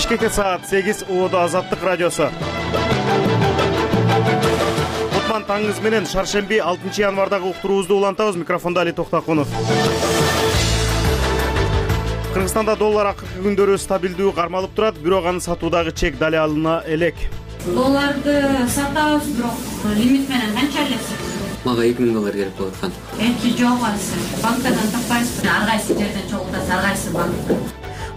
Бишкекте саат 8, ООД Азаттык радиосу. Кутман таңыңыз менен шаршемби 6 январдагы уктуруубузду улантабыз. Микрофондо Али Токтакунов. Кыргызстанда доллар акыркы күндөрү стабилдүү кармалып турат, бирок аны сатуудагы чек дали алына элек. Долларды сатабыз, бирок лимит менен канча элесиз? Мага 2000 доллар керек болуп аткан. Жок азыр. Банктардан таппайсызбы? Ар кайсы жерден чогултасыз, ар кайсы банк.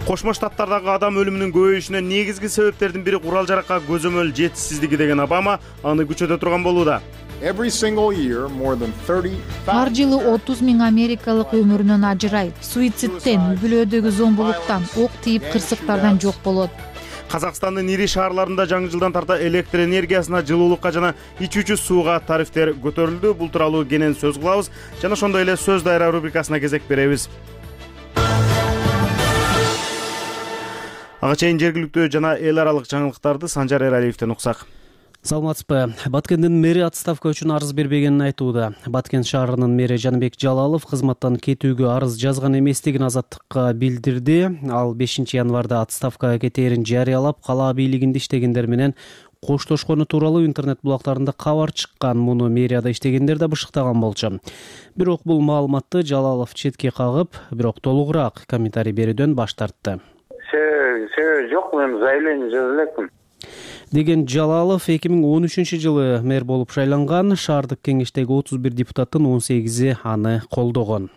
Кошмо Штаттардагы адам өлүмүнүн көбөйүшүнө негизги себептердин бири курал жаракка көзөмөл жетишсиздиги деген Обама аны күчөтө турган болууда. Ар жылы 30 000 америкалык өмүрүнөн ажырайт. Суицидтен, үй-бүлөдөгү зомбулуктан, ок тийип кырсыктардан жок болот. Казакстандын ири шаарларында жаңы жылдан тарта электр энергиясына, жылуулукка жана ичүүчү сууга тарифтер көтөрүлдү. Бул тууралуу кенен сөз кылабыз жана ошондой эле сөз дайра рубрикасына кезек беребиз. Ага чейин жергиликтүү жана эл аралык жаңылыктарды Санжар Эралиевден уксак. Саламатсызбы. Баткендин мэри отставка үчүн арыз бербегенин айтууда. Баткен шаарынын мэри Жаныбек Жалалов кызматтан кетүүгө арыз жазган эместигин Азаттыкка билдирди. Ал 5 январда отставкага кетээрин жарыялап, кала бийлигинде иштегендер менен коштошкону тууралуу интернет булактарында кабар чыккан. Муну мэрияда иштегендер да бышыктаган болчу. Бирок бул маалыматты Жалалов четке кагып, бирок толугураак комментарий берүүдөн баш тартты. Себеби жок, мен заявление жаза элекмин деген Жалалов 2013 жылы мэр болуп шайланган. Шаардык кеңештеги 31 депутаттын 18 аны колдогон.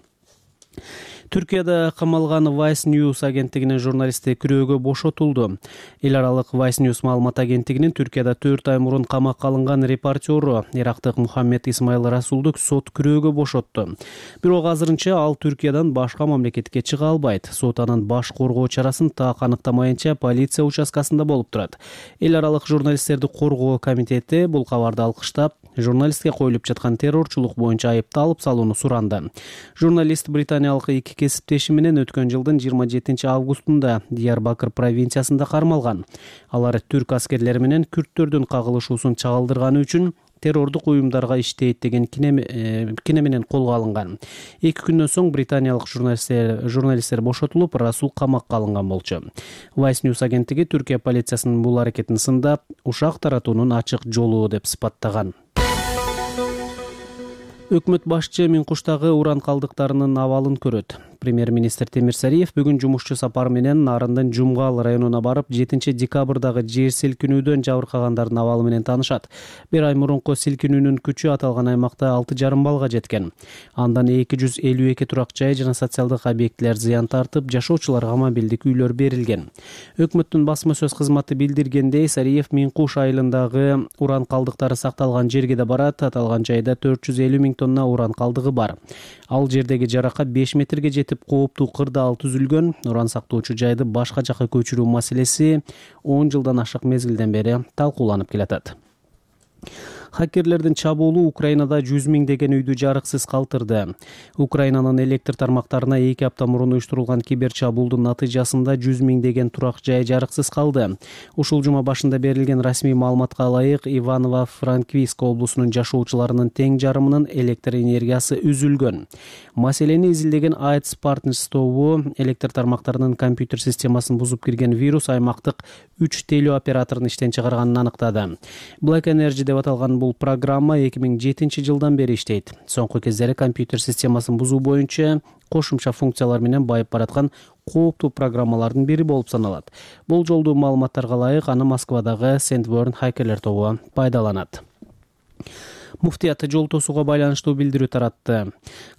Түркияда камалган Vice News агенттигинин журналисти күрөөгө бошотулду. Эл аралык Vice News маалымат агенттигинин Түркияда 4 ай мурун камакка алынган репортеру ирактык Мухаммед Исмаил Расулду сот күрөөгө бошотту. Бирок азырынча ал Түркиядан башка мамлекетке чыга албайт. Сот анын баш коргоо чарасын так аныктамайынча полиция участкасында болуп турат. Эл аралык журналисттерди коргоо комитети бул кабарды алкыштап, журналистке коюлуп жаткан террорчулук боюнча айыпты алып салууну суранды. Журналист британиялык эки кесиптеши менен өткөн жылдын 27 августунда Диярбакыр провинциясында кармалган. Алар түрк аскерлери менен күрттөрдүн кагылышуусун чагылдырганы үчүн террордук уюмдарга иштейт деген кине менен колго алынган. 2 күндөн соң британиялык журналисттер бошотулуп, Расул камакка алынган болчу. Vice News агенттиги Түркия полициясынын бул аракетин сындап, ушак таратуунун ачык жолу деп сыпаттаган. Өкмөт башчы Миңкуштагы уран калдыктарынын абалын көрөт. Премьер-министр Темир Сариев бүгүн жумушчу сапар менен Нарындын Жумгал районуна барып, 7 декабрдагы жер силкинүүдөн жабыркагандардын абалы менен таанышат. Bir ай мурунку силкинүүнүн күчү аталган аймакта 6,5 балга жеткен. Андан 252 турак жай жана социалдык объектилер зыян тартып, жашоочуларга мобилдик үйлөр берилген. Өкмөттүн басма сөз кызматы билдиргендей, Сариев Миңкуш айылындагы уран калдыктары сакталган жерге да барат. Аталган жайда 450 000 тонна уран калдыгы бар. Ал жердеги жаракат 5 метрге жетип, кооптуу кырдаал түзүлгөн. Уран сактоочу жайды башка жакка көчүрүү маселеси 10 жылдан ашык мезгилден бери талкууланып келатат. Хакерлердин чабуулу Украинада 100 000 үйдү жарыксыз калтырды. Украинанын электр тармактарына 2 апта мурун уюштурулган кибер чабуулдун натыйжасында 100 000 турак жай жарыксыз калды. Ушул жума башында берилген расмий маалыматка ылайык, Иваново-Франкивск облусунун жашоочуларынын тең жарымынын электр энергиясы үзүлгөн. Маселени изилдеген AIDS Partners тобу электр тармактарынын компьютер системасын бузуп кирген вирус аймактык 3 телеоператорун иштен чыгарганын аныктады. Black Energy деп аталган бул программа 2007 жылдан бери иштейт. Соңку кездери компьютер системасын бузуу боюнча кошумча функциялар менен байып бараткан кооптуу программалардын бири болуп саналат. Бул жолдуу маалыматтарга ылайык аны Москвадагы Sandworm хакерлер тобу пайдаланат. Муфтият жол тосууга байланыштуу билдирүү таратты.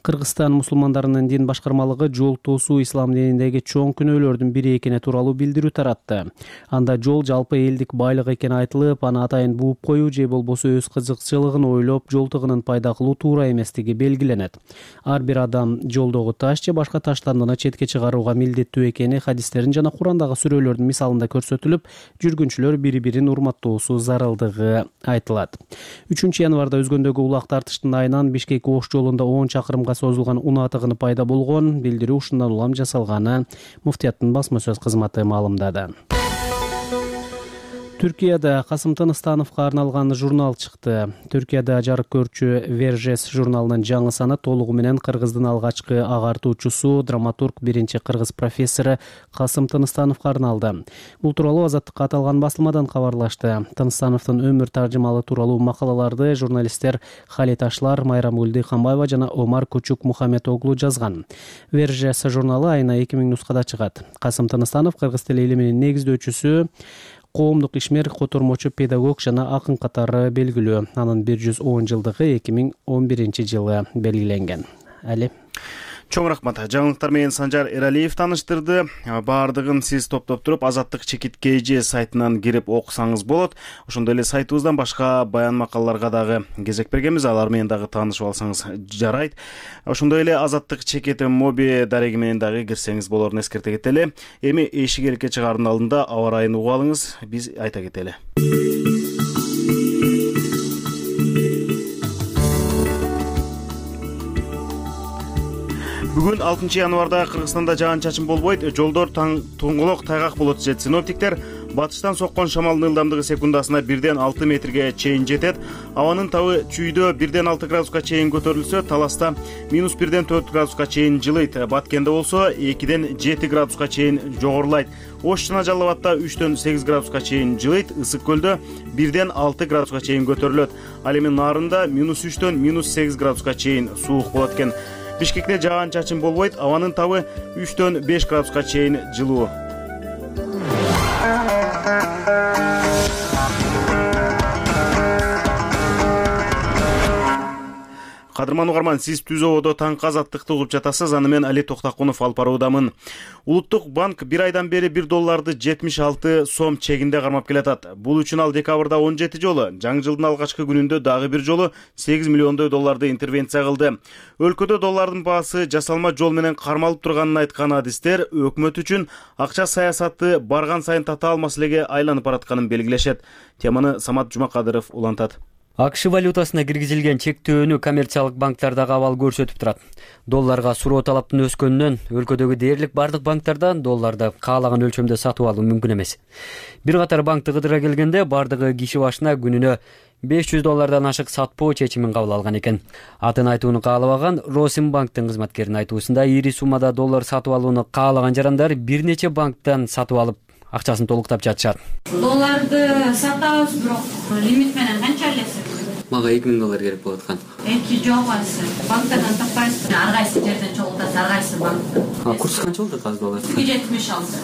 Кыргызстан мусулмандарынын дин башкармалыгы жол тосуу ислам дининдеги чоң күнөөлөрдүн бири экени тууралуу билдирүү таратты. Анда жол жалпы элдик байлык экени айтылып, аны атайын бууп коюу же болбосо өз кызыкчылыгын ойлоп жол тыгынын пайда кылуу туура эместиги белгиленет. Ар бир адам жолдогу таш же башка таштандыны четке чыгарууга милдеттүү экени хадистерин жана Курандагы сүрөлөрдүн мисалында көрсөтүлүп, жүргүнчүлөр бири-бирин урматтоосу зарылдыгы айтылат. 3 январда өзгөндөгү улак тартыштын айынан Бишкек-Ош жолунда 10 чакырымга созулган унаа тыгыны пайда болгон. Билдирүү ушундан улам жасалганы Муфтияттын басма сөз кызматы маалымдады. Түркияда Касым Тыныстановго арналган журнал чыкты. Түркияда жарык көрчү Вержес журналынын жаңы саны толугу менен кыргыздын алгачкы агартуучусу, драматург, биринчи кыргыз профессору Касым Тыныстановго арналды. Бул тууралуу Азаттыкка аталган басылмадан кабарлашты. Тыныстановдун өмүр таржымалы тууралуу макалаларды журналисттер Халит Ашлар, Майрамгүл Дыйканбаева жана Омар Кучук Мухаммедоглу жазган. Вержес журналы айына 2000 нускада чыгат. Касым Тыныстанов кыргыз тили илиминин негиздөөчүсү, коомдук ишмер, котормочу, педагог жана акын катары белгилүү. Анын 110 жылдыгы 2011-жылы белгиленген. Али Чоң рахмат. Жаңылыктар менен Санжар Эралиев таныштырды. Баардыгын сиз топтоп туруп Азаттык чекит KG сайтынан кирип окусаңыз болот. Ошондой эле сайтыбыздан башка баян макалаларга дагы кезек бергенбиз. Алар менен дагы таанышып алсаңыз жарайт. Ошондой эле Азаттык чекит моби дареги менен дагы кирсеңиз болорун эскерте кетели. Эми эшик эркке чыгаардын алдында аба ырайын угуп алыңыз. Биз айта кетели. Бүгүн 6 январда Кыргызстанда жаан-чачын болбойт, жолдор тоңголок тайгак болот дешет синоптиктер. Батыштан соккон шамалдын ылдамдыгы секундасына 1-6 метрге чейин жетет. Абанын табы чүйдө 1-6 градуска чейин көтөрүлсө, Таласта -1-4 градуска чейин жылыйт. Баткенде болсо 2-7 градуска чейин жогорулайт. Ош жана Жалал Абадта 3-8 градуска чейин жылыйт. Ысык көлдө 1-6 градуска чейин көтөрүлөт. Ал эми Нарында -3-8 градуска чейин суук болот экен. Бишкекте жаан-чачын болбойт, абанын табы 3-5 градуска чейин жылуу. Кадырман угарман, сиз Түз ободо таңкы азаттыкты угуп жатасыз. Аны мен Али Токтакунов алып баруудамын. Улуттук банк бир айдан бери $1 76 сом чегинде кармап келатат. Бул үчүн ал декабрда 17 жолу, жаңы жылдын алгачкы күнүндө дагы бир жолу $8 миллион интервенция кылды. Өлкөдө доллардын баасы жасалма жол менен кармалып турганын айткан адистер өкмөт үчүн акча саясаты барган сайын татаал маселеге айланып баратканын белгилешет. Теманы Самат Жумакадыров улантат. АКШ валютасына киргизилген чектөөнү коммерциялык банктардагы абал көрсөтүп турат. Долларга суроо талаптын өскөнүнөн өлкөдөгү дээрлик бардык банктардан долларды каалаган өлчөмдө сатып алуу мүмкүн эмес. Бир катар банкты кыдыра келгенде бардыгы киши башына күнүнө $500 ашык сатпоо чечимин кабыл алган экен. Атын айтууну каалабаган Росимбанктын кызматкеринин айтуусунда ири суммада доллар сатып алууну каалаган жарандар бир нече банктан сатып алып акчасын толуктап жатышат. Долларды сатабыз, бирок лимит менен канча алесиз? Мага $2000 керек болуп аткан. Эки жобасы. Банктардан таппайсыз. Ар кайсы жерден чогултасыз, ар кайсы банктан. Курс канча болду азыр доллар? 76.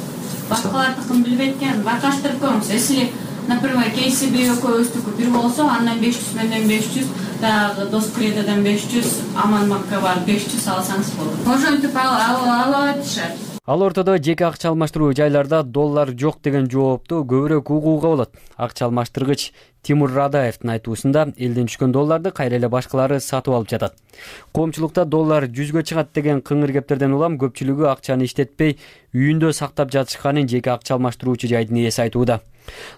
Башкалардыкын билбейт экен, байкаштырып көрүңүз. Если, например, KCB экөөбүздүкү бир болсо, андан 500 менен 500, дагы Доскредодон 500, Аманбанкка барып 500 алсаңыз болот. Ошентип алып атышат. Ал ортодо жеке акча алмаштыруу жайларда доллар жок деген жоопту көбүрөөк угууга болот. Акча алмаштыргыч Тимур Радаевдин айтуусунда элден түшкөн долларды кайра эле башкалары сатып алып жатат. Коомчулукта доллар 100гө чыгат деген кыңыр кептерден улам көпчүлүгү акчаны иштетпей үйүндө сактап жатышканын жеке акча алмаштыруучу жайдын ээси айтууда.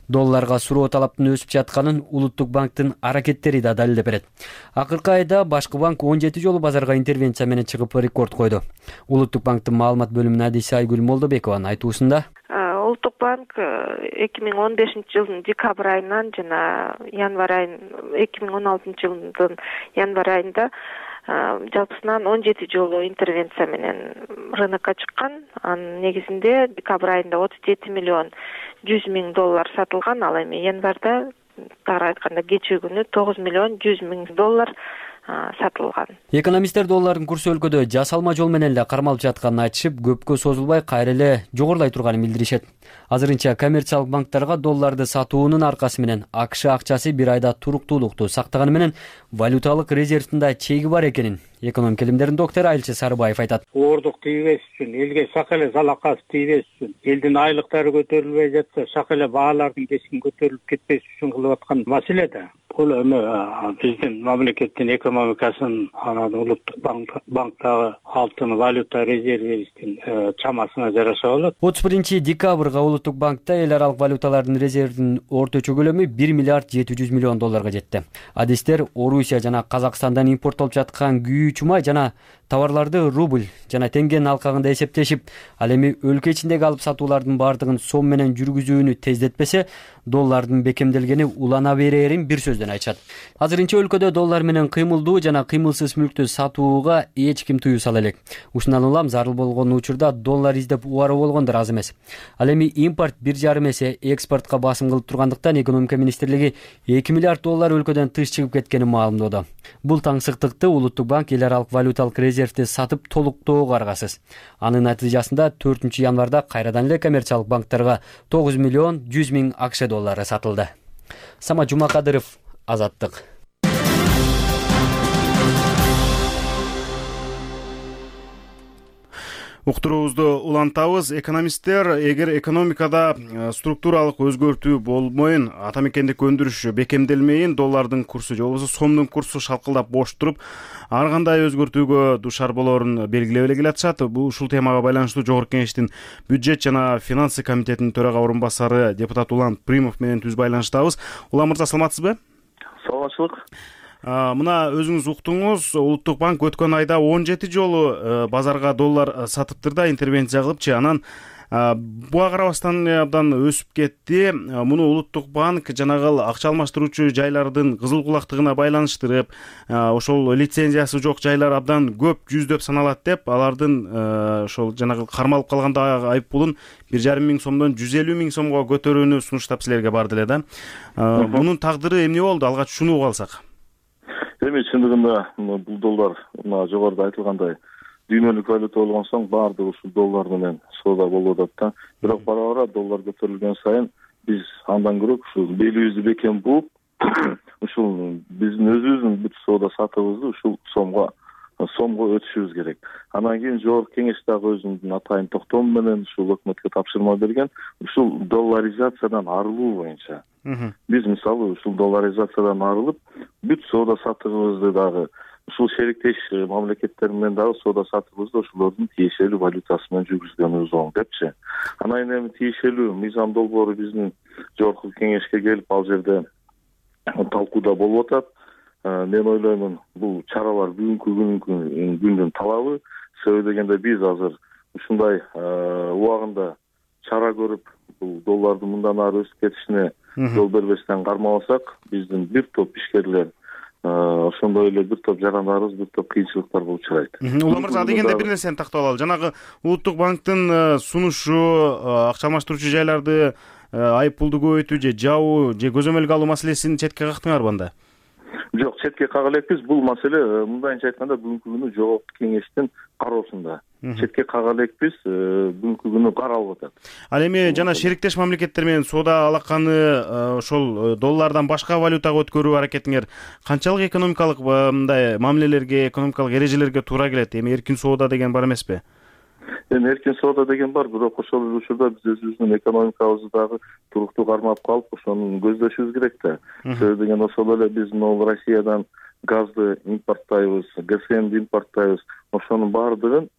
Долларга суроо талаптын өсүп жатканын Улуттук банктын аракеттери да далилдеп берет. Акыркы айда башкы банк 17 жолу базарга интервенция менен чыгып рекорд койду. Улуттук банктын маалымат бөлүмүнүн адиси Айгүл Молдобекованын айтуусунда Улуттук банк 2015-жылдын декабрь айынан жана январь айын 2016-жылдын январь айында жалпысынан 17 жолу интервенция менен рынокко чыккан. Анын негизинде декабрь айында $37 миллион $100 000 сатылган. Ал эми январда тагыраак айтканда кечээ күнү $9 миллион $100 000 сатылган. Экономисттер доллардын курсу өлкөдө жасалма жол менен эле кармалып жатканын айтышып, көпкө созулбай кайра эле жогорулай турганын билдиришет. Азырынча коммерциялык банктарга долларды сатуунун аркасы менен АКШ акчасы бир айда туруктуулукту сактаганы менен валюталык резервдин да чеги бар экенин экономика илимдеринин доктору Айлчы Сарыбаев айтат. Оордук тийбеш үчүн, элге шак эле залакасы тийбеш үчүн, элдин айлыктары көтөрүлбөй жатса, шак эле баалардын кесин көтөрүлүп кетпеш үчүн кылып аткан маселе да. Бул эми биздин мамлекеттин экономикасын, анан Улуттук банктагы алтын валюта резервибиздин чамасына жараша болот. 31 декабрга Улуттук банкта эл аралык валюталардын резервинин орточо көлөмү $1 миллиард $700 миллион жетти. Адистер Орусия жана Казакстандан импорттолуп жаткан күйүүчү май жана Товарларды рубль жана теңгенин алкагында эсептешип, ал эми өлкө ичиндеги алып сатуулардын баардыгын сом менен жүргүзүүнү тездетпесе, доллардын бекемделгени улана берерин бир сөздөн айтышат. Азырынча өлкөдө доллар менен кыймылдуу жана кыймылсыз мүлктү сатууга эч ким тыюу сала элек. Ушундан улам зарыл болгон учурда доллар издеп убаруу болгондор аз эмес. Ал эми импорт 1,5 эсе экспортко басым кылып тургандыктан экономика министрлиги 2 миллиард доллар өлкөдөн тыш чыгып кеткенин маалымдоодо. Бул таңсыктыкты Улуттук банк эл аралык валюталык резервди сатып толуктоого аргасыз. Анын натыйжасында 4 январда кайрадан эле коммерциялык банктарга 9 миллион 100 миң АКШ доллары сатылды. Самат Жумакадыров, Азаттык. Уктуруубузду улантабыз. Экономисттер эгер экономикада структуралык өзгөртүү болмойын, ата мекендик өндүрүш бекемделмейин, доллардын курсу же болбосо сомдун курсу шалкылдап бош туруп, ар кандай өзгөртүүгө душар болоорун белгилеп эле келатышат. Бул ушул темага байланыштуу Жогорку Кеңештин бюджет жана финансы комитетинин төрага орун басары депутат Улан Примов менен түз байланыштабыз. Улан мырза, саламатсызбы? Саламатчылык. Мына өзүңүз уктуңуз, Улуттук банк өткөн айда 17 жолу базарга доллар сатыптыр да, интервенция кылыпчы. Анан буга карабастан абдан өсүп кетти. Муну Улуттук банк жанагы акча алмаштыруучу жайлардын кызыл кулактыгына байланыштырып, ошол лицензиясы жок жайлар абдан көп, жүздөп саналат деп, алардын ошол жанагы кармалып калганда айыппулун 1,5 миң сомдон 150 миң сомго көтөрүүнү сунуштап силерге барды эле да. Мунун тагдыры эмне болду? Алгач шуну угуп алсак. Эми чындыгында бул доллар жогоруда айтылгандай дүйнөлүк валюта болгон соң баардыгы ушул доллар менен соода болуп атат да. Бирок бара-бара доллар көтөрүлгөн сайын биз андан көрө ушул белибизди бекем бууп, ушул биздин өзүбүздүн бүт соода сатыбызды ушул сомго өтүшүбүз керек. Андан кийин Жогорку Кеңеш дагы өзүнүн атайын токтому менен ушул өкмөткө тапшырма берген, ушул долларизациядан арылуу боюнча. Биз мисалы ушул долларизациядан арылып, бүт соода сатыбызды дагы ушул шериктеш мамлекеттер менен дагы соода сатыбызды ошолордун тиешелүү валютасы менен жүргүзгөнүбүз оң депчи. Анан эми тиешелүү мыйзам долбоору биздин Жогорку Кеңешке келип, ал жерде талкууда болуп атат. Мен ойлоймун, бул чаралар бүгүнкү күндүн талабы. Себеби дегенде биз азыр ушундай убагында чара көрүп, бул доллардын мындан ары өсүп кетишине жол бербестен кармабасак, биздин бир топ ишкерлер, ошондой эле бир топ жарандарыбыз бир топ кыйынчылыктарга учурайт. Улан мырза, дегенде бир нерсени тактап алалы. Жанагы Улуттук банктын сунушу акча алмаштыруучу жайларды айыппулду көбөйтүү же жабуу же көзөмөлгө алуу маселесин четке кактыңарбы анда? Жок, четке кага элекпиз. Бул маселе мындайча айтканда бүгүнкү күнү Жогорку Кеңештин кароосунда. Четке кага элекпиз, бүгүнкү күнү каралып атат. Ал эми жана шериктеш мамлекеттер менен соода алаканы ошол доллардан башка валютага өткөрүү аракетиңер канчалык экономикалык мындай мамилелерге, экономикалык эрежелерге туура келет? Эми эркин соода деген бар эмеспи? Эми эркин соода деген бар, бирок ошол эле учурда биз өзүбүздүн экономикабызды дагы туруктуу кармап калып, ошону көздөшүбүз керек да. Себеби деген ошол эле биз могу Россиядан газды импорттойбуз, ГСМди импорттойбуз. Ошонун баардыгын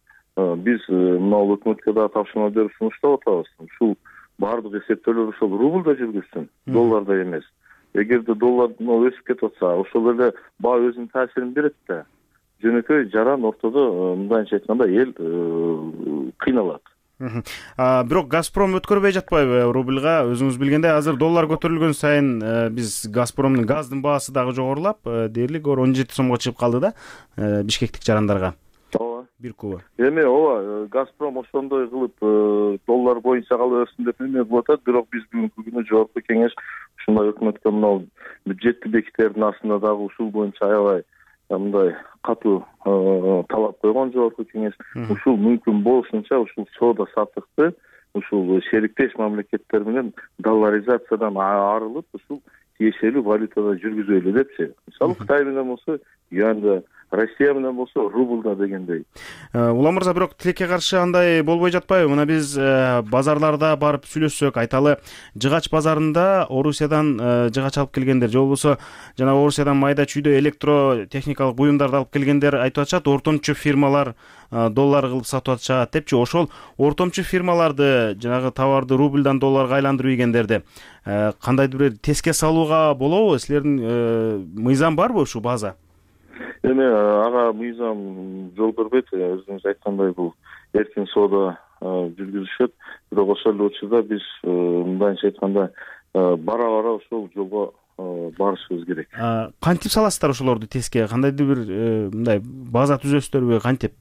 биз мына өкмөткө дагы тапшырма берип сунуштап атабыз. Ушул баардык эсептөөлөр ошол рубльда жүргүзсүн, долларда эмес. Эгерде доллар өсүп кетип атса, ошол эле баа өзүнүн таасирин берет да. Жөнөкөй жаран ортодо мындайча айтканда эл кыйналат. Бирок Газпром өткөрбөй жатпайбы рубльга? Өзүңүз билгендей, азыр доллар көтөрүлгөн сайын биз Газпромдун газдын баасы дагы жогорулап, дээрлик 17 сомго чыгып калды да бишкектик жарандарга. Ооба. Бир кубы. Эми ооба, Газпром ошондой кылып доллар боюнча калаберсин деп эме кылып атат, бирок биз бүгүнкү күнү Жогорку Кеңеш ушундай өкмөткө мына бюджетти бекитердин астында дагы ушул боюнча аябай мындай катуу талап койгон Жогорку Кеңеш. Ушул мүмкүн болушунча ушул соода саттыкты ушул шериктеш мамлекеттер менен долларизациядан арылып, ушул тиешелүү валютада жүргүзөлү депчи. Мисалы Кытай менен болсо юанда, Россия менен болсо рубльда дегендей. Улан мырза, бирок тилекке каршы андай болбой жатпайбы? Мына биз базарларда барып сүйлөшсөк, айталы, жыгач базарында Орусиядан жыгач алып келгендер же болбосо жана Орусиядан майда чүйдө электротехникалык буюмдарды алып келгендер айтып атышат, ортомчу фирмалар доллар кылып сатып атышат депчи. Ошол ортомчу фирмаларды жанагы товарды рубльдан долларга айландырып ийгендерди кандайдыр бир теске салууга болобу? Силердин мыйзам барбы ушу база? Эми ага мыйзам жол бербейт. Өзүңүз айткандай бул эркин соода жүргүзүшөт. Бирок ошол эле учурда биз мындайча айтканда бара ошол жолго барышыбыз керек. Кантип саласыздар ошолорду теске? Кандайдыр бир мындай база түзөсүздөрбү, кантип?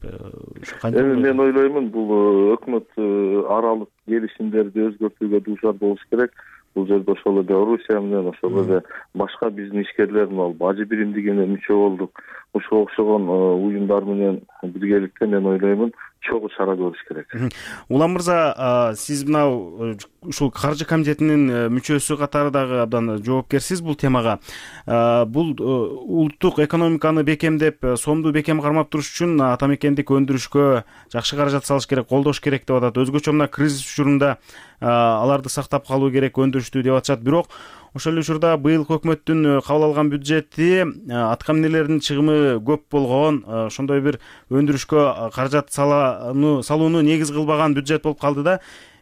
Эми мен ойлоймун, бул өкмөт аралык келишимдерди өзгөртүүгө дуушар болуш керек. Бул жерде ошол эле Орусия менен, ошол эле башка биздин ишкерлер Ажы биримдигине мүчө болдук. Ушуга окшогон уюмдар менен биргеликте мен ойлоймун чогуу чара көрүш керек. Улам мырза, сиз мына ушул каржы комитетинин мүчөсү катары дагы абдан жоопкерсиз бул темага. Бул улуттук экономиканы бекемдеп, сомду бекем кармап туруш үчүн ата мекендик өндүрүшкө жакшы каражат салыш керек, колдош керек деп атат. Өзгөчө мына кризис учурунда аларды сактап калуу керек, өндүрүштү деп атышат. Бирок ошол эле учурда быйылкы өкмөттүн кабыл алган бюджети атка минелердин чыгымы көп болгон, ошондой бир өндүрүшкө каражат салууну негиз кылбаган бюджет болуп калды да.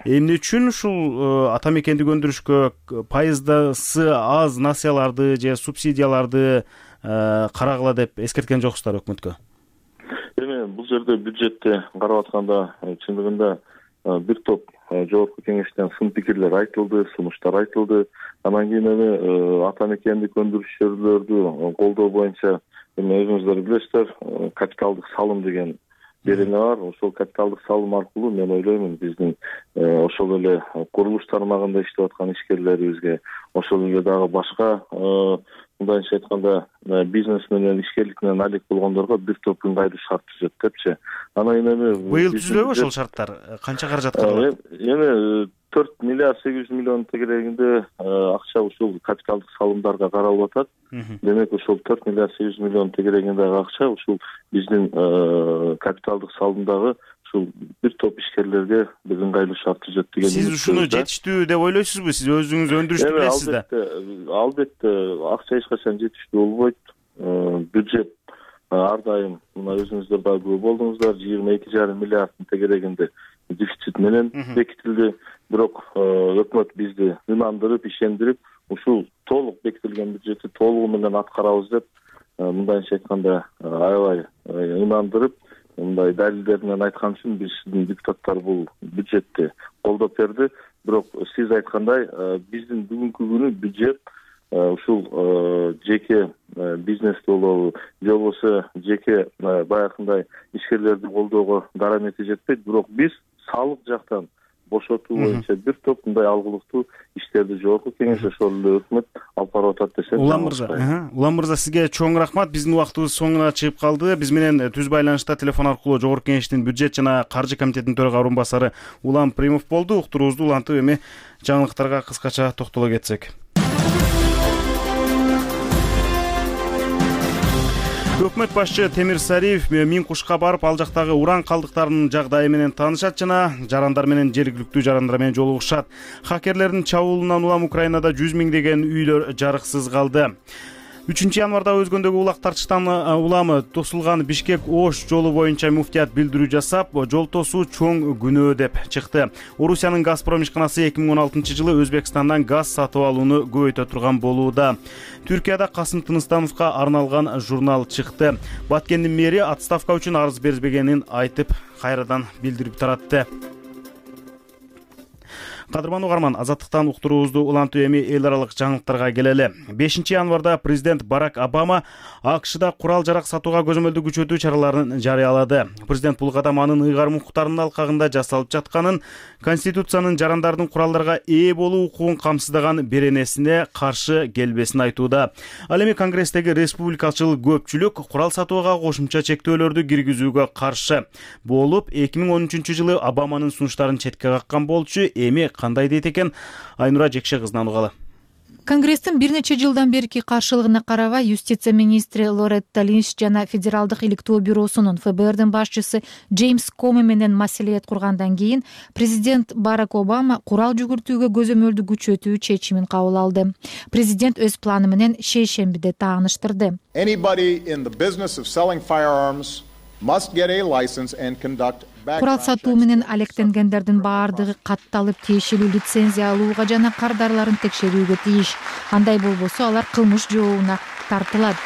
Эмне үчүн ушул ата мекендик өндүрүшкө пайыздасы аз насыяларды же субсидияларды карагыла деп эскерткен жоксуздар өкмөткө? Эми бул жерде бюджетти карап атканда чындыгында бир топ жогорку кеңештен сын пикирлер айтылды, сунуштар айтылды. Анан кийин эми ата мекендик өндүрүшчүлөрдү колдоо боюнча эми өзүңүздөр билесиздер, капиталдык салым деген берене бар. Ошол капиталдык салым аркылуу мен ойлоймун биздин ошол эле курулуш тармагында иштеп аткан ишкерлерибизге, ошол эле дагы башка мындайча айтканда бизнес менен ишкерлик менен алек болгондорго бир топ ыңгайлуу шарт түзөт депчи. Анан эми быйыл түзүлөбү ошол шарттар? Канча каражат каралат? Эми 4 миллиард 800 миллион тегерегинде акча ушул капиталдык салымдарга каралып атат. Демек ушул 4 миллиард 800 миллион тегерегиндеги акча ушул биздин капиталдык салымдагы ушул бир топ ишкерлерге бир ыңгайлуу шарт түзөт деген. Сиз ушуну жетиштүү деп ойлойсузбу? Сиз өзүңүз өндүрүштү билесиз да. Албетте акча эч качан жетиштүү болбойт. Бюджет ар дайым мына өзүңүздөр дагы күбө болдуңуздар, 22,5 миллиарддын тегерегинде дефицит менен бекитилди. Бирок өкмөт бизди ынандырып, ишендирип, ушул толук бекитилген бюджетти толугу менен аткарабыз деп мындайча айтканда аябай ынандырып, мындай далилдер менен айткан үчүн биздин депутаттар бул бюджетти колдоп берди. Бирок сиз айткандай биздин бүгүнкү күнү бюджет ушул жеке бизнеске болобу, же болбосо жеке баягындай ишкерлерди колдоого дарамети жетпейт. Бирок биз салык жактан бошотуу боюнча бир топ мындай алгылыктуу иштерди жогорку кеңеш ошол эле өкмөт алып барып атат десек. Улам мырза, сизге чоң рахмат. Биздин убактыбыз соңуна чыгып калды. Биз менен түз байланышта телефон аркылуу жогорку кеңештин бюджет жана каржы комитетинин төрага орун басары Улам Примов болду. Уктуруубузду улантып эми жаңылыктарга кыскача токтоло кетсек. Өкмөт башчы Темир Сариев Мин Кушка барып, ал жактагы уран калдыктарынын жагдайы менен таанышат жана жарандар менен жергиликтүү жарандар менен жолугушат. Хакерлердин чабуулунан улам Украинада 100 миңдеген үйлөр жарыксыз калды. 3 январда өзгөндөгү улак тартыштан улам тосулган Бишкек-Ош жолу боюнча муфтият билдирүү жасап, жол тосуу чоң күнөө деп чыкты. Орусиянын Газпром ишканасы 2016-жылы Өзбекстандан газ сатып алууну көбөйтө турган болууда. Түркияда Касым Тыныстановго арналган журнал чыкты. Баткендин мэри отставка үчүн арыз бербегенин айтып, кайрадан билдирип таратты. Кадырман угарман, азаттыктан уктуруубузду улантып эми эл аралык жаңылыктарга келели. 5 январда президент Барак Обама АКШда курал жарак сатууга көзөмөлдү күчөтүү чараларын жарыялады. Президент бул кадам анын ыйгарым укуктарынын алкагында жасалып жатканын, Конституциянын жарандардын куралдарга ээ болуу укугун камсыздаган беренесине каршы келбесин айтууда. Ал эми Конгресстеги республикачыл көпчүлүк курал сатууга кошумча чектөөлөрдү киргизүүгө каршы болуп, 2013-жылы Обаманын сунуштарын четке каккан болчу. Эми кандай дейт экен, Айнура Жекше кызынан угалы. Конгресстин бир нече жылдан берки каршылыгына карабай, юстиция министри Лоретта Линч жана Федералдык иликтөө бюросунун ФБРдин башчысы Джеймс Коми менен маселет кургандан кийин президент Барак Обама курал жүгүртүүгө көзөмөлдү күчөтүү чечимин кабыл алды. Президент өз планы менен шейшембиде тааныштырды. Курал сатуу менен алектенгендердин баардыгы катталып тиешелүү лицензия алууга жана кардарларын текшерүүгө тийиш. Андай болбосо алар кылмыш жообуна тартылат.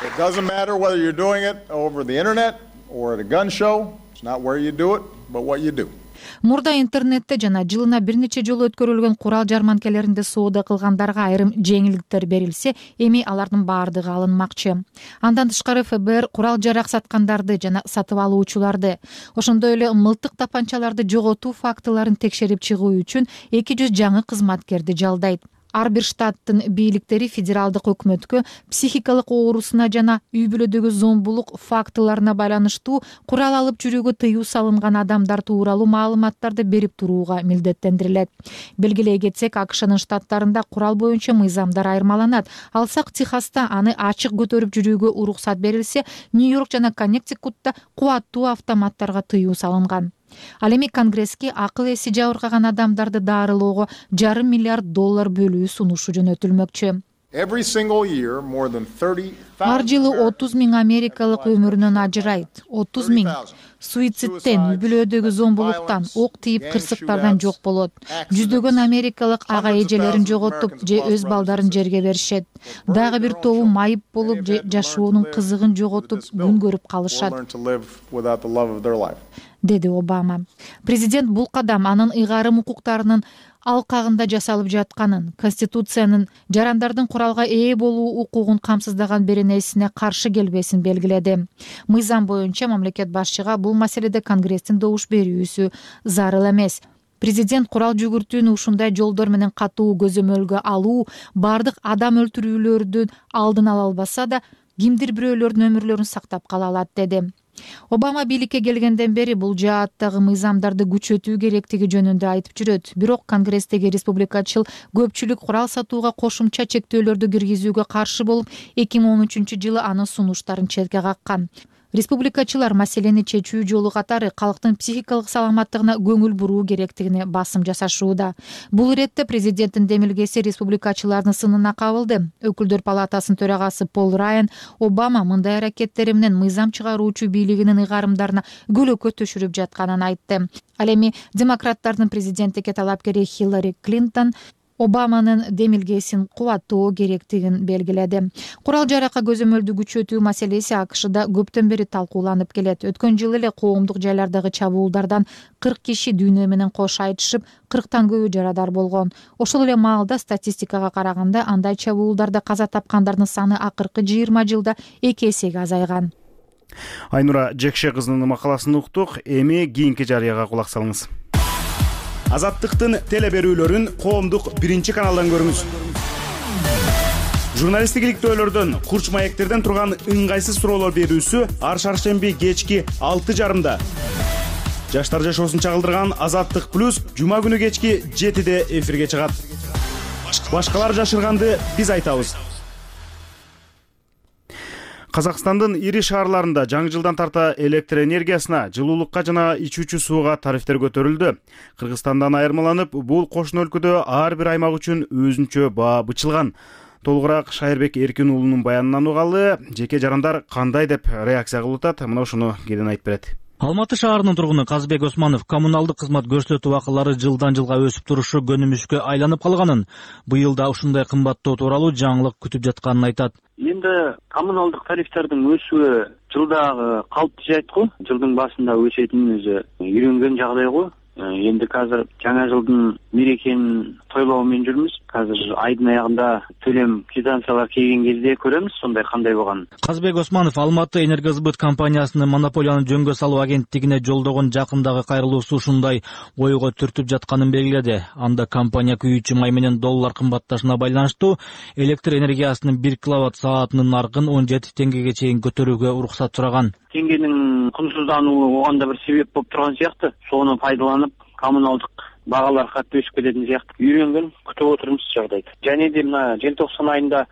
It doesn't matter whether you're doing it over the internet or at a gun show. It's not where you do it, but what you do. Мурда интернетте жана жылына бир нече жолу өткөрүлгөн курал жарманкелеринде соода кылгандарга айрым жеңилдиктер берилсе, эми алардын баардыгы алынмакчы. Андан тышкары ФБР курал жарак саткандарды жана сатып алуучуларды, ошондой эле мылтык тапанчаларды жоготуу фактыларын текшерип чыгуу үчүн 200 жаңы кызматкерди жалдайт. Ар бир штаттын бийликтери федералдык өкмөткө психикалык оорусуна жана үй бүлөдөгү зомбулук фактыларына байланыштуу курал алып жүрүүгө тыюу салынган адамдар тууралуу маалыматтарды берип турууга милдеттендирилет. Белгилей кетсек, АКШнын штаттарында курал боюнча мыйзамдар айырмаланат. Алсак, Техаста аны ачык көтөрүп жүрүүгө уруксат берилсе, Нью-Йорк жана Коннектикутта кубаттуу автоматтарга тыюу салынган. Ал эми Конгресске акыл эси жабыркаган адамдарды дарылоого $500 миллиард бөлүү сунушу жөнөтүлмөкчү. Ар жылы 30 000 америкалык өмүрүнөн ажырайт. 30 000 суициттен, үй бүлөдөгү зомбулуктан, ок тийип кырсыктардан жок болот. Жүздөгөн америкалык ага эжелерин жоготуп же өз балдарын жерге беришет. Дагы бир тобу майып болуп же жашоонун кызыгын жоготуп күн көрүп калышат, деди Обама. Президент бул кадам анын ыйгарым укуктарынын алкагында жасалып жатканын, Конституциянын жарандардын куралга ээ болуу укугун камсыздаган беренесине каршы келбесин белгиледи. Мыйзам боюнча мамлекет башчыга бул маселеде Конгресстин добуш берүүсү зарыл эмес. Президент курал жүгүртүүнү ушундай жолдор менен катуу көзөмөлгө алуу, бардык адам өлтүрүүлөрдүн алдын ала албаса да, кимдир бирөөлөрдүн өмүрлөрүн сактап кала алат, деди. Обама бийликке келгенден бери бул жааттагы мыйзамдарды күчөтүү керектиги жөнүндө айтып жүрөт. Бирок Конгресстеги республикачыл көпчүлүк курал сатууга кошумча чектөөлөрдү киргизүүгө каршы болуп, 2013 жылы анын сунуштарын четке каккан. Республикачылар маселени чечүү жолу катары калктын психикалык саламаттыгына көңүл буруу керектигине басым жасашууда. Бул иретте президенттин демилгеси республикачылардын сынына кабылды. Өкүлдөр палатасынын төрагасы Пол Райан Обама мындай аракеттери менен мыйзам чыгаруучу бийлигинин ыйгарымдарына көлөкө төшүрүп жатканын айтты. Ал эми демократтардын президенттикке талапкери Хиллари Клинтон Обаманын демилгесин кубаттоо керектигин белгиледи. Курал жаракка көзөмөлдү күчөтүү маселеси АКШда көптөн бери талкууланып келет. Өткөн жылы эле коомдук жайлардагы чабуулдардан 40 киши дүйнө менен кош айтышып, 40тан көбү жарадар болгон. Ошол эле маалда статистикага караганда андай чабуулдарда каза тапкандардын саны акыркы 20 жылда 2 эсеге азайган. Айнура Жекше кызынын макаласын уктук. Эми кийинки жарыяга кулак салыңыз. Азаттыктын теле берүүлөрүн коомдук 1-каналдан көрүңүз. Журналисттик иликтөөлөрдөн, курч маектерден турган ыңгайсыз суроолор берүүсү ар шаршемби кечки 6:30. Жаштар жашоосун чагылдырган Азаттык плюс жума күнү кечки 7:00 эфирге чыгат. Башкалар жашырганды биз айтабыз. Казакстандын ири шаарларында жаңы жылдан тарта электр энергиясына, жылуулукка жана ичүүчү сууга тарифтер көтөрүлдү. Кыргызстандан айырмаланып, бул кошуна өлкөдө ар бир аймак үчүн өзүнчө баа бычылган. Толугураак Шайырбек Эркин уулунун баянынан угалы, жеке жарандар кандай деп реакция кылып атат, мына ушуну кийин айтып берет. Алматы шаарынын тургуну Казбек Османов коммуналдык кызмат көрсөтүү акылары жылдан жылга өсүп турушу көнүмүшкө айланып калганын, быйыл да ушундай кымбаттоо тууралуу жаңылык күтүп жатканын айтат. Эми коммуналдык тарифтердин өсүшү жылдагы калыпты жайт го. Жылдын башында өсөтүнүн өзү үйрөнгөн жагдай го. Эми азыр жаңа жылдын мерекенин тойлоо менен жүрмүз. Азыр айдын аягында төлөм квитанциялар келген кезде көрөмүз сондай кандай болгонун. Казбек Османов Алматы энергосбыт компаниясынын монополияны жөнгө салуу агенттигине жолдогон жакындагы кайрылуусу ушундай ойго түртүп жатканын белгиледи. Анда компания күйүүчү май менен доллар кымбатташына байланыштуу электр энергиясынын 1 киловатт саатынын наркын 17 теңгеге чейин көтөрүүгө уруксат сураган. Теңгенин кунсуздануу оганда бир себеп болуп турган сыяктуу. Сону пайдаланып коммуналдык багалар катты өсүп кететін сыяктуу. Үйрөнгөн, күтүп отурмуз жагдайды. Және де мына желтоқсан айында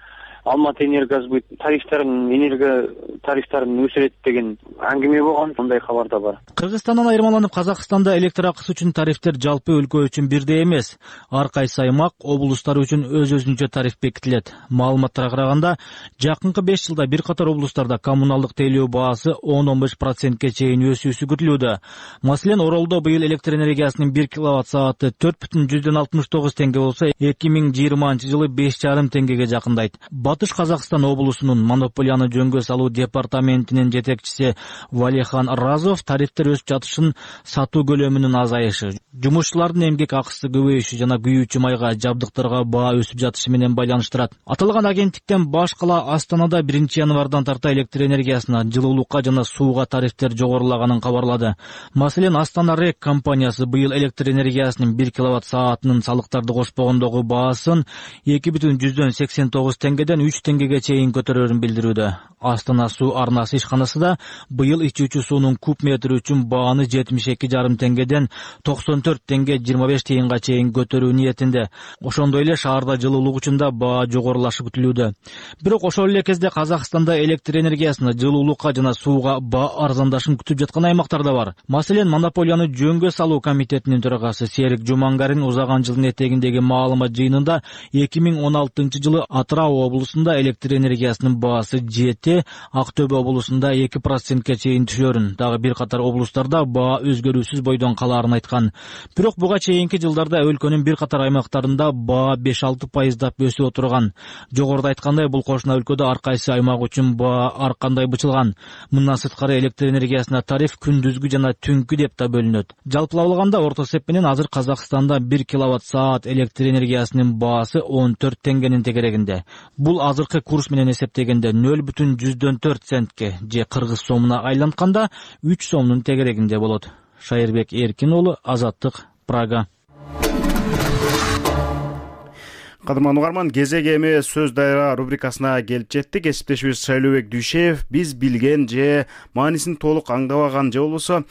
Алматы энергосбыт энерго тарифтарын өсүрөт деген аңгеме болгон, сондай кабар да бар. Кыргызстандан айырмаланып Казакстанда электр акысы үчүн тарифтер жалпы өлкө үчүн бирдей эмес. Ар кайсы аймак, облустар үчүн өз-өзүнчө тариф бекитилет. Маалыматтарга караганда, жакынкы 5 жылда бир катар облустарда коммуналдык тейлөө баасы 10-15%ке чейин өсүүсү күтүлүүдө. Маселен, Оролдо быйыл электр энергиясынын 1 киловатт сааты 4,69 теңге болсо, 2020 жылы 5,5 теңгеге жакындайт. Батыш Казакстан облусунун монополияны жөнгө салуу департаментинин жетекчиси Валихан Разов тарифтер өсүп жатышын сатуу көлөмүнүн азайышы, жумушчулардын эмгек акысы көбөйүшү жана күйүүчү майга, жабдыктарга баа өсүп жатышы менен байланыштырат. Аталган агенттиктен баш кала Астанада 1-январдан тарта электр энергиясына, жылуулукка жана сууга тарифтер жогорулаганын кабарлады. Маселен, Астана РЭК компаниясы быйыл электр энергиясынын 1 киловатт-саатынын салыктарды кошпогондогу баасын 2,89 теңгеден 3 теңгеге чейин көтөрөрүн билдирүүдө. Астана суу арнасы ишканасы да быйыл ичүүчү суунун куб метри үчүн бааны 72,5 теңгеден 94 теңге 25 тыйынга чейин көтөрүү ниетинде. Ошондой эле шаарда жылуулук үчүн да баа жогорулашы күтүлүүдө. Бирок ошол эле кезде Казакстанда электр энергиясына, жылуулукка жана сууга баа арзандашын күтүп жаткан аймактар да бар. Маселен, монополияны жөнгө салуу комитетинин төрагасы Серик Жумангарин узаган жылдын этегиндеги маалымат жыйынында 2016 Атырау облусунда электр энергиясынын баасы жети, Актөбө облусунда 2%ке чейин түшөрүн, дагы бир катар облустарда баа өзгөрүүсүз бойдон калаарын айткан. Бирок буга чейинки жылдарда өлкөнүн бир катар аймактарында баа 5-6% өсүп отурган. Жогоруда айткандай, бул кошуна өлкөдө ар кайсы аймак үчүн баа ар кандай бычылган. Мындан сырткары электр энергиясына тариф күндүзгү жана түнкү деп да бөлүнөт. Жалпылап алганда орто эсеп менен азыр Казакстанда 1 киловатт-саат электр энергиясынын баасы 14 теңгенин тегерегинде. Бул азыркы курс менен эсептегенде 0,04 центке же кыргыз сомуна айлантканда 3 сомдун тегерегинде болот. Шайырбек Эркин уулу, Азаттык, Прага. Кадырман угарман, кезек эми сөз дайра рубрикасына келип жеттик. Кесиптешибиз Шайлообек Дүйшеев биз билген же маанисин толук аңдабаган же болбосо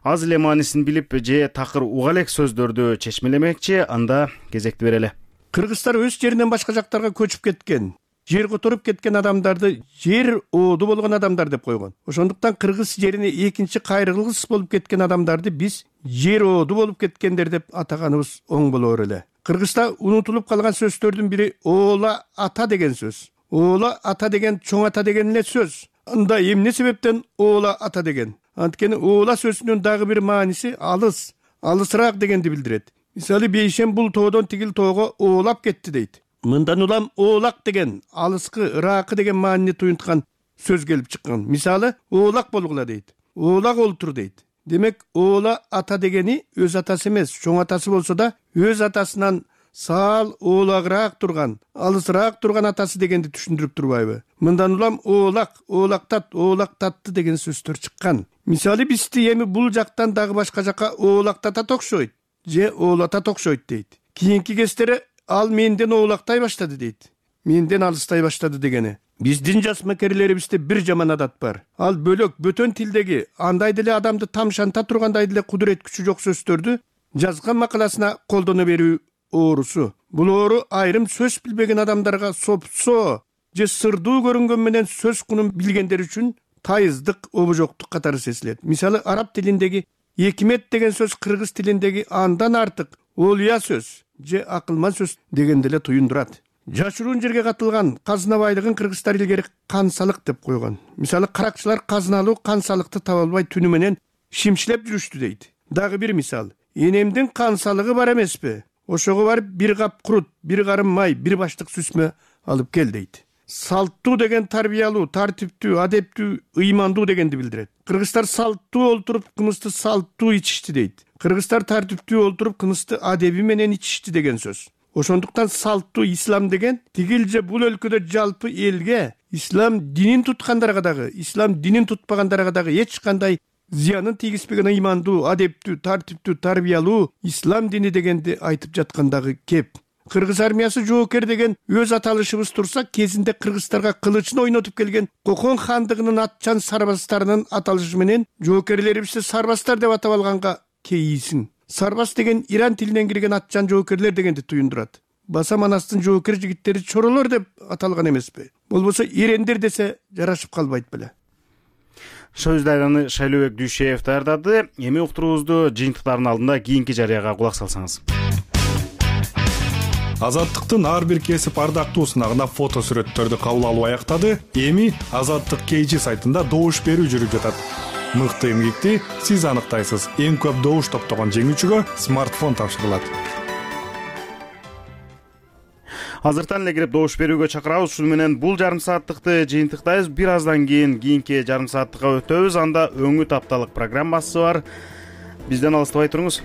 аз эле маанисин билип же такыр уга элек сөздөрдү чечмелемекчи. Анда кезекти берели. Кыргызстар өз жеринен башка жактарга көчүп кеткен, жер которуп кеткен адамдарды жер ооду болгон адамдар деп койгон. Ошондуктан кыргыз жерине экинчи кайрылгыс болуп кеткен адамдарды биз жер ооду болуп кеткендер деп атаганыбыз оң болор эле. Кыргызда унутулуп калган сөздөрдүн бири оола ата деген сөз. Оола ата деген чоң ата деген эле сөз. Анда эмне себептен оола ата деген? Анткени оола сөзүнүн дагы бир мааниси алыс, алысыраак дегенди билдирет. Мисалы, бейшем бул тоодон тигил тоого оолап кетти дейт. Мындан улам оолак деген алыскы, ыракы деген маанини туюнткан сөз келип чыккан. Мисалы, оолак болгула дейт. Оолак олтур дейт. Демек, оола ата дегени өз атасы эмес, чоң атасы болсо да, өз атасынан саал оолагыраак турган, алысыраак турган атасы дегенди түшүндүрүп турбайбы? Мындан улам оолак, оолактат, оолактатты деген сөздөр чыккан. Мисалы, бизди эми бул жактан дагы башка жакка оолактатат окшойт, же оолатат окшойт дейт. Кийинки кездери ал менден оолактай баштады дейт. Менден алыстай баштады дегени. Биздин жас мекерлерибизде бир жаман адат бар. Ал бөлөк бөтөн тилдеги андай деле адамды тамшанта тургандай деле кудурет күчү жок сөздөрдү жазган макаласына колдоно берүү оорусу. Бул оору айрым сөз билбеген адамдарга сопсо же сырдуу көрүнгөн менен сөз кунун билгендер үчүн тайыздык, обожоктук катары сезилет. Мисалы, араб тилиндеги экимет деген сөз кыргыз тилиндеги андан артык олуя сөз же акылман сөз дегенди эле туюндурат. Жашыруун жерге катылган казына байлыгын кыргыздар илгери кансалык деп койгон. Мисалы, каракчылар казыналуу кансалыкты таба албай түнү менен шимшилеп жүрүштү дейт. Дагы бир мисал, энемдин кансалыгы бар эмеспи? Ошого барып бир кап курут, бир карым май, бир баштык сүзмө алып кел дейт. Салттуу деген тарбиялуу, тартиптүү, адептүү, ыймандуу дегенди билдирет. Кыргыздар салттуу олтуруп, кымызды салттуу ичишти дейт. Кыргыздар тартиптүү олтуруп, кымызды адеби менен ичишти деген сөз. Ошондуктан салттуу ислам деген тигил же бул өлкөдө жалпы элге, ислам динин туткандарга дагы, ислам динин тутпагандарга дагы эч кандай зыянын тийгизбеген ыймандуу, адептүү, тартиптүү, тарбиялуу ислам дини дегенди айтып жаткандагы кеп. Кыргыз армиясы жоокер деген өз аталышыбыз турса, кезинде кыргыздарга кылычын ойнотуп келген Кокон хандыгынын атчан сарбаздарынын аталышы менен жоокерлерибизди сарбаздар деп атап алганга кейисин. Сарбаз деген Иран тилинен кирген атчан жоокерлер дегенди туюндурат. Баса Манастын жоокер жигиттери чоролор деп аталган эмеспи? Болбосо ирендер десе жарашып калбайт беле. Сөз дайраны Шайлообек Дүйшеев даярдады. Эми уктуруубузду жыйынтыктардын алдында кийинки жарыяга кулак салсаңыз. Азаттыктын ар бир кесип ардактуу сынагына фото сүрөттөрдү кабыл алуу аяктады. Эми Азаттык KG сайтында добуш берүү жүрүп жатат. Мыкты эмгекти сиз аныктайсыз. Эң көп добуш топтогон жеңүүчүгө смартфон тапшырылат. Азыртан эле кирип добуш берүүгө чакырабыз. Ушул менен бул жарым сааттыкты жыйынтыктайбыз. Бир аздан кийинки жарым сааттыкка өтөбүз. Анда өңүт апталык программасы бар. Бизден алыстабай туруңуз.